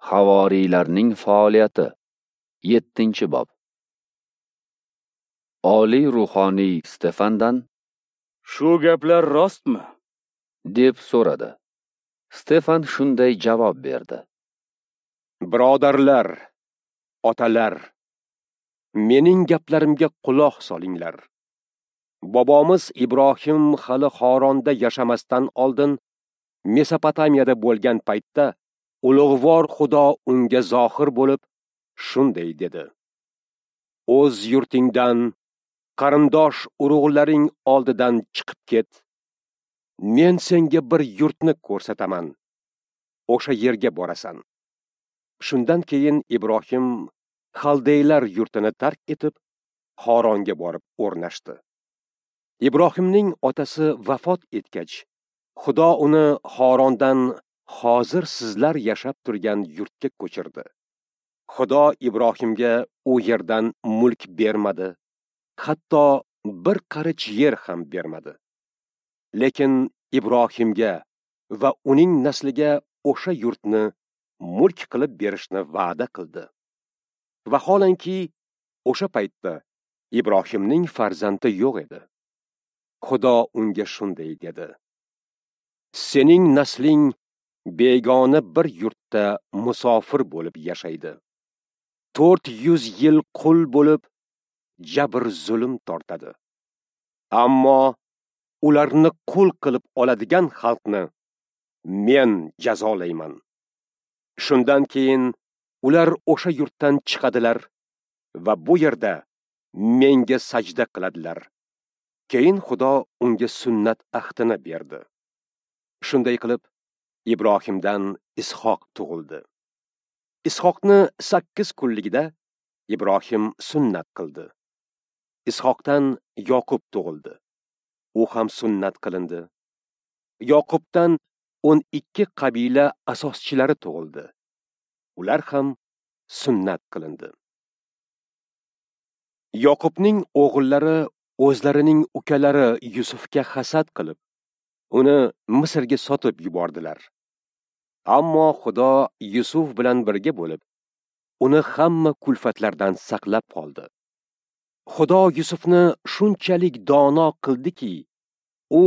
Havoriylarning faoliyati. 7-bob. Oliy ruhoniy Stefandan: "Shu gaplar rostmi?" deb so'radi. Stefan shunday javob berdi: "Birodarlar, otalar, mening gaplarimga quloq solinglar. Bobomiz Ibrohim hali Xoronda yashamasdan oldin Mesopotamiyada bo'lgan paytda ulug'vor Xudo unga zohir bo'lib, shunday dedi: O'z yurtingdan, qarindosh urug'laring oldidan chiqib ket. Men senga bir yurtni ko'rsataman. O'sha yerga borasan." Shundan keyin Ibrohim Xaldeylar yurtini tark etib, Xoronga borib o'rnashdi. Ibrohimning otasi vafot etgach, Xudo uni Xorondan hozir sizlar yashab turgan yurtga ko'chirdi. Xudo Ibrohimga u yerdan mulk bermadi, hatto bir qarich yer ham bermadi. Lekin Ibrohimga va uning nasliga o'sha yurtni mulk qilib berishni va'da qildi. Vaholanki, o'sha paytda Ibrohimning farzandi yo'q edi. Xudo unga shunday dedi: "Sening nasling begona bir yurtda musofir bo'lib yashaydi. 400 yil qul bo'lib, jabr zulm tortadi. Ammo ularni qul qilib oladigan xalqni men jazolayman. Shundan keyin ular o'sha yurtdan chiqadilar va bu yerda menga sajda qiladilar." Keyin Xudo unga sunnat ahdini berdi. Shunday qilib Ibrohimdan Ishoq tug'ildi. Ishoqni 8 kunligida Ibrohim sunnat qildi. Ishoqdan Yoqub tug'ildi. U ham sunnat qilindi. Yoqubdan 12 qabila asoschilari tug'ildi. Ular ham sunnat qilindi. Yoqubning o'g'illari o'zlarining ukalari Yusufga hasad qilib, uni Misrga sotib yubordilar. Ammo Xudo Yusuf bilan birga bo'lib, uni hamma kulfatlardan saqlab qoldi. Xudo Yusufni shunchalik dono qildiki, u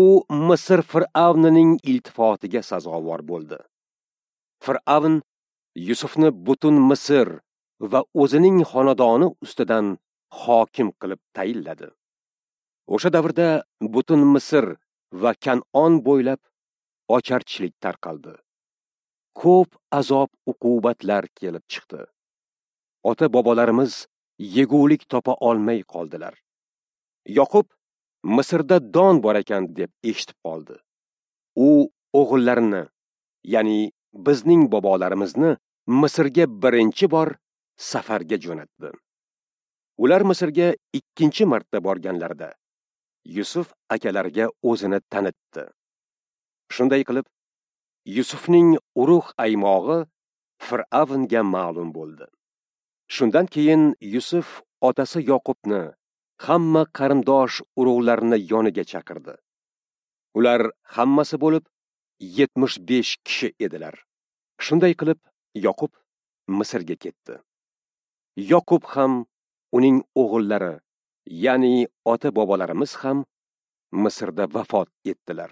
Misr fir'avnining iltifotiga sazovor bo'ldi. Fir'avn Yusufni butun Misr va o'zining xonadoni ustidan hokim qilib tayinladi. O'sha davrda butun Misr va Kan'on bo'ylab ocharchilik tarqaldi. Ko'p azob uqubatlar kelib chiqdi. Ota-bobolarimiz yegulik topa olmay qoldilar. Yoqub Misrda don bor ekan deb eshitib qoldi. U o'g'illarini, ya'ni bizning bobolarimizni Misrga birinchi bor safarga jo'natdi. Ular Misrga ikkinchi marta borganlarida Yusuf akalariga o'zini tanitdi. Shunday qilib, Yusufning urug' aymog'i Fir'avnga ma'lum bo'ldi. Shundan keyin Yusuf otasi Yoqubni, hamma qarindosh urug'larini yoniga chaqirdi. Ular hammasi bo'lib 75 kishi edilar. Shunday qilib Yoqub Misrga ketdi. Yoqub ham, uning o'g'illari, ya'ni ota-bobolarimiz ham Misrda vafot etdilar.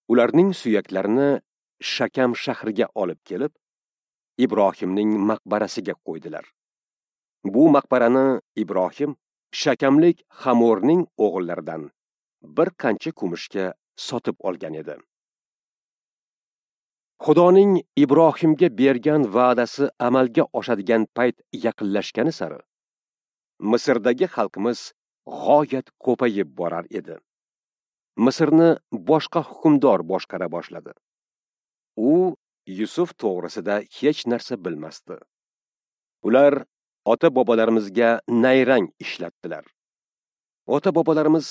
Ularning suyaklarini Shakam shahriga olib kelib, Ibrohimning maqbarasiga qo'ydilar. Bu maqbarani Ibrohim Shakamlik Hamorning o'g'illaridan bir qancha kumushga sotib olgan edi. Xudoning Ibrohimga bergan va'dasi amalga oshadigan payt yaqinlashgani sari Misrdagi xalqimiz g'oyat ko'payib borar edi. Misrni boshqa hukmdor boshqara boshladi. U Yusuf to'g'risida hech narsa bilmasdi. Ular ota-bobolarimizga nayrang ishlatdilar. Ota-bobolarimiz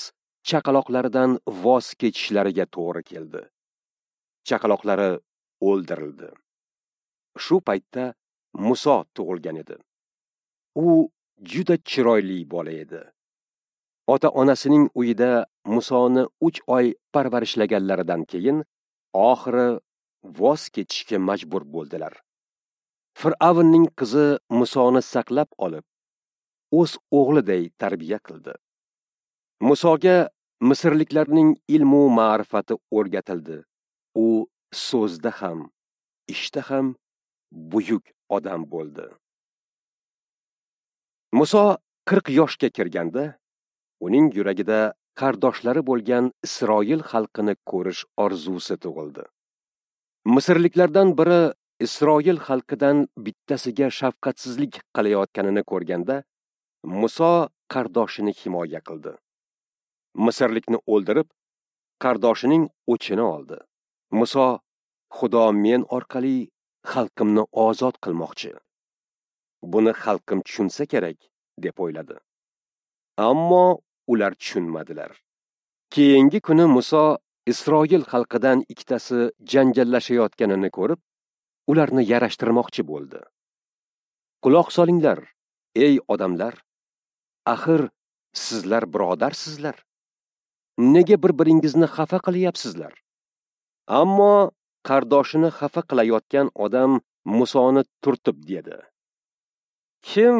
chaqaloqlaridan voz kechishlariga to'g'ri keldi. Chaqaloqlari o'ldirildi. Shu paytda Muso tug'ilgan edi. U juda chiroyli bola edi. Ota-onasining uyida Musoni 3 oy parvarishlaganlaridan keyin oxiri voz kechishga majbur bo'ldilar. Fir'avnning qizi Musoni saqlab olib, o'z o'g'liday tarbiya qildi. Musoga misrliklarning ilmu ma'rifati o'rgatildi. U so'zda ham, ishda ham buyuk odam bo'ldi. Muso 40 yoshga kirganda, uning yuragida qardoshlari bo'lgan Isroil xalqini ko'rish orzusi tug'ildi. Misrliklardan biri Isroil xalqidan bittasiga shafqatsizlik qilayotganini ko'rganda, Muso qardoshini himoya qildi. Misrlikni o'ldirib, qardoshining o'chini oldi. Muso, Xudo men orqali xalqimni ozod qilmoqchi. Buni xalqim tushunsa kerak, deb o'yladi. Ammo ular tushunmadilar. Keyingi kuni Muso Isroil xalqidan ikkitasi janjallashayotganini ko'rib, ularni yarashtirmoqchi bo'ldi. Quloq solinglar, ey odamlar! Axir sizlar birodarsizlar. Nega bir-biringizni xafa qilyapsizlar? Ammo qardoshini xafa qilayotgan odam Musoni turtib dedi: Kim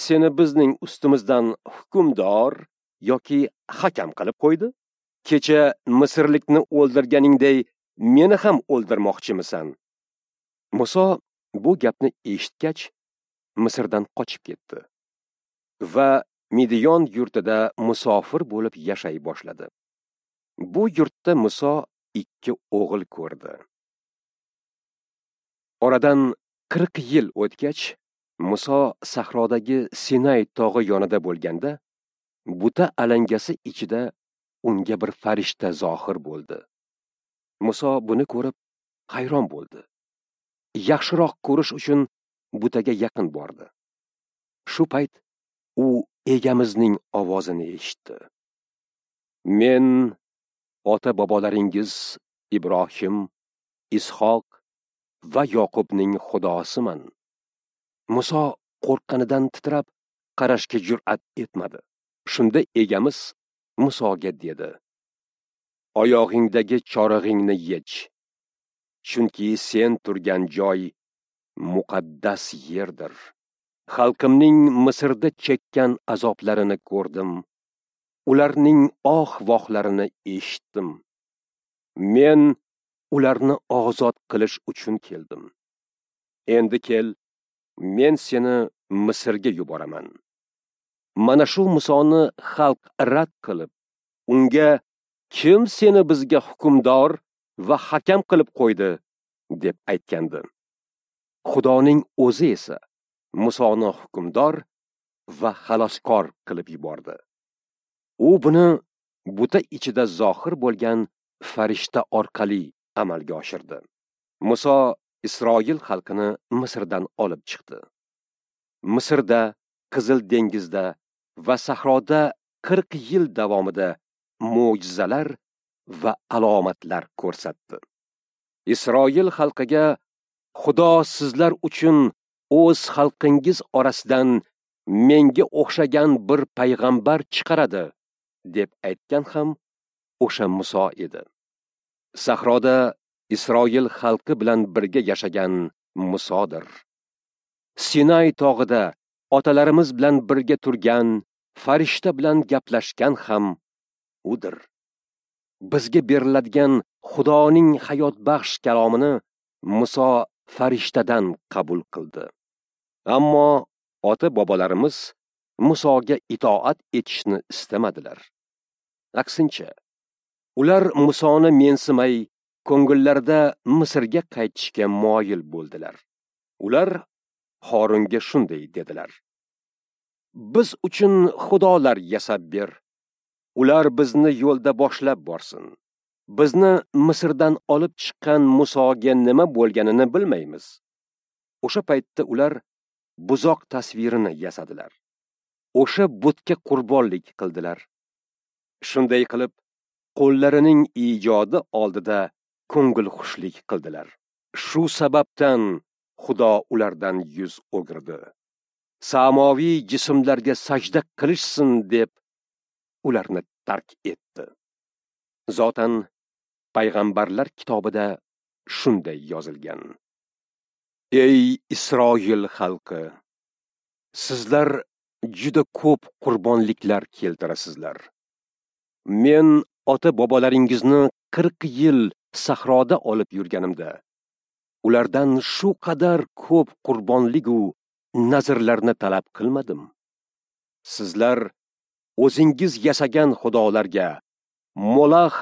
seni bizning ustimizdan hukmdor yoki hakam qilib qo'ydi? Kecha misrlikni o'ldirganingday meni ham o'ldirmoqchimisan? Muso bu gapni eshitgach, Misrdan qochib ketdi va Midiyon yurtida musofir bo'lib yashay boshladi. Bu yurtda Muso 2 o'g'il ko'rdi. Oradan 40 yil o'tgach, Muso sahrodagi Sinay tog'i yonida bo'lganda, buta alangasi ichida unga bir farishta zohir bo'ldi. Muso buni ko'rib hayron bo'ldi. Yaxshiroq ko'rish uchun butaga yaqin bordi. Shu payt u egamizning ovozini eshitdi. Men ota-bobolaringiz Ibrohim, Ishoq va Yoqubning Xudosiman. Muso qo'rqqanidan titrab qarashga jur'at etmadi. Shunda egamiz Musoga dedi: Oyog'ingdagi chorig'ingni yech, chunki sen turgan joy muqaddas yerdir. Xalqimning Misrda chekkan azoblarini ko'rdim. Ularning oh-vohlarini eshitdim. Men ularni ozod qilish uchun keldim. Endi kel, men seni Misrga yuboraman. Mana shu Musoni xalq rad qilib, unga kim seni bizga hukmdor va hakam qilib qo'ydi, deb aytgandi. Xudoning o'zi esa Musoni hukmdor va xaloskor qilib yubordi. U buni buta ichida zohir bo'lgan farishta orqali amalga oshirdi. Muso Isroil xalqini Misrdan olib chiqdi. Misrda, Qizil dengizda va sahroda 40 yil davomida mo'jizalar va alomatlar ko'rsatdi. Isroil xalqiga Xudo sizlar uchun o'z xalqingiz orasidan menga o'xshagan bir payg'ambar chiqaradi, deb aytgan ham o'sha Muso edi. Sahroda Isroil xalqi bilan birga yashagan Musodir. Sinay tog'ida otalarimiz bilan birga turgan, farishta bilan gaplashgan ham udir. Bizga beriladigan Xudoning hayotbaxsh kalomini Muso farishtadan qabul qildi. Ammo ota-bobolarimiz Musoga itoat etishni istamadilar. Aksincha, ular Musoni mensimay, ko'ngillarida Misrga qaytishga moyil bo'ldilar. Ular Horunga shunday dedilar: Biz uchun xudolar yasab ber. Ular bizni yo'lda boshlab borsin. Bizni Misrdan olib chiqqan Musoga nima bo'lganini bilmaymiz. O'sha paytda ular buzoq tasvirini yasadilar. O'sha butga qurbonlik qildilar. Shunday qilib, qo'llarining ijodi oldida ko'ngil xushlik qildilar. Shu sababdan Xudo ulardan yuz o'girdi. Samoviy jismlarga sajda qilishsin deb ularni tark etdi. Zotan payg'ambarlar kitobida shunday yozilgan: Ey Isroil xalqi, sizlar juda ko'p qurbonliklar keltirasizlar. Men ota-bobolaringizni 40 yil sahroda olib yurganimda, ulardan shu qadar ko'p qurbonlik-u nazrlarni talab qilmadim. Sizlar o'zingiz yasagan xudolarga, Molax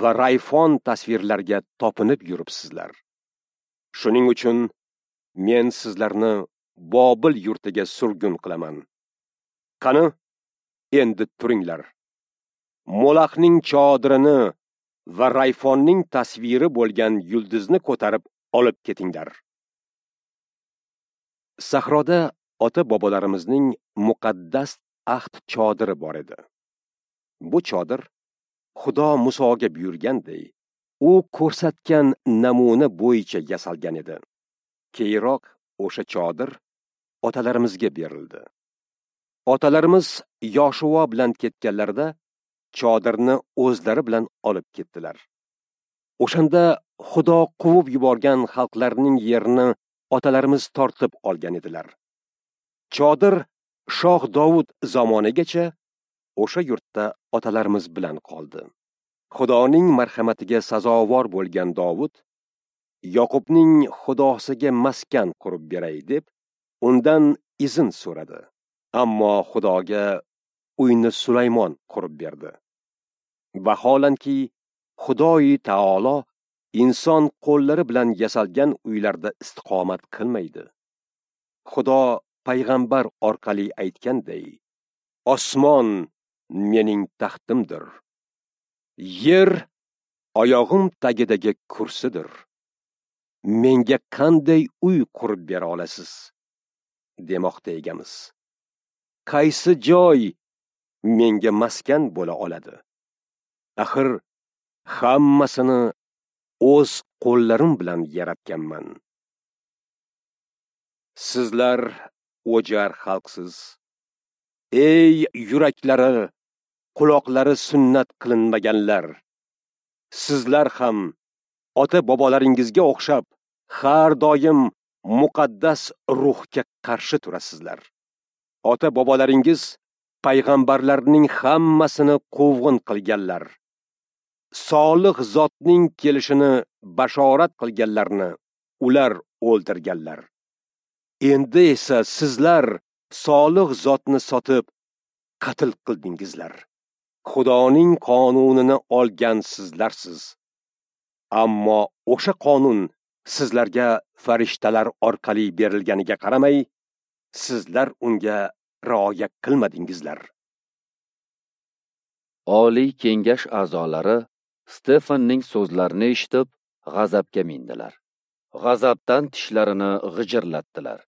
va Rayfon tasvirlarga topinib yuribsizlar. Shuning uchun men sizlarni Bobil yurtiga surgun qilaman. Qani, endi turinglar. Molaxning chodirini va Rayfonning tasviri bo'lgan yulduzni ko'tarib olib ketinglar. Sahroda ota-bobolarimizning muqaddas ahd chodiri bor edi. Bu chodir Xudo Musoga buyurganday, u ko'rsatgan namuna bo'yicha yasalgan edi. Keyinroq o'sha chodir otalarimizga berildi. Otalarimiz Yoshuva bilan ketganlarida chodirni o'zlari bilan olib ketdilar. O'shanda Xudo quvib yuborgan xalqlarning yerini otalarimiz tortib olgan edilar. Chodir Shoh Dovud zamonigacha o'sha yurtda otalarimiz bilan qoldi. Xudoning marhamatiga sazovor bo'lgan Dovud Yoqubning Xudosiga maskan qurib beray deb undan izn so'radi. Ammo Xudoga uyni Sulaymon qurib berdi. Vaholanki Xudoyi taolo inson qo'llari bilan yasalgan uylarda istiqomat qilmaydi. Xudo payg'ambar orqali aytganday, osmon mening taxtimdir, yer oyog'im tagidagi kursidir. Menga qanday uy qurib bera olasiz, demoqda egamiz. Qaysi joy menga maskan bo'la oladi? Axir hammasini o'z qo'llarim bilan yaratganman. Sizlar o'jar xalqsiz. Ey yuraklari, quloqlari sunnat qilinmaganlar, sizlar ham ota-bobolaringizga o'xshab har doim muqaddas ruhga qarshi turasizlar. Ota-bobolaringiz payg'ambarlarning hammasini quvg'in qilganlar. Solih zotning kelishini bashorat qilganlarni ular o'ldirganlar. Endi esa sizlar solih zotni sotib qatl qildingizlar. Xudoning qonunini olgan sizlarsiz. Ammo o'sha qonun sizlarga farishtalar orqali berilganiga qaramay, sizlar unga rioya qilmadingizlar. Oliy kengash a'zolari Stefanning so'zlarini eshitib, g'azabga mindilar. G'azabdan tishlarini g'ijirlatdilar.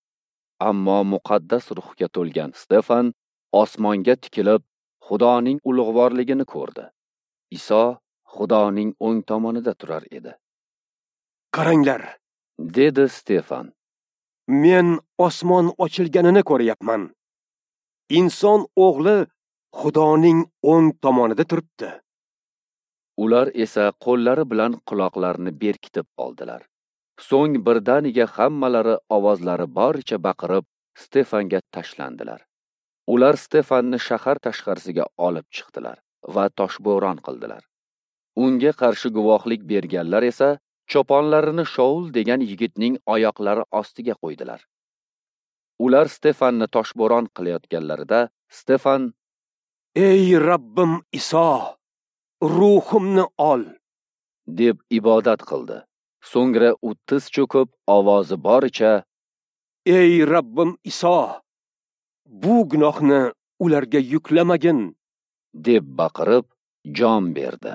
Ammo muqaddas ruhga to'lgan Stefan osmonga tikilib, Xudoning ulug'vorligini ko'rdi. Iso Xudoning o'ng tomonida turar edi. Qaranglar, dedi Stefan. Men osmon ochilganini ko'ryapman. Inson o'g'li Xudoning o'ng tomonida turibdi. Ular esa qo'llari bilan quloqlarini berkitib oldilar. So'ng birdaniga hammalari ovozlari boricha baqirib, Stefanga tashlandilar. Ular Stefanni shahar tashqarisiga olib chiqdilar va toshbo'ron qildilar. Unga qarshi guvohlik berganlar esa choponlarini Shaul degan yigitning oyoqlari ostiga qo'ydilar. Ular Stefanni toshbo'ron qilayotganlarida Stefan: "Ey Rabbim Iso, ruhimni ol" deb ibodat qildi. So'ngra u tiz cho'kib, ovozi boricha: "Ey Rabbim Iso, bu gunohni ularga yuklamagin" deb baqirib jon berdi.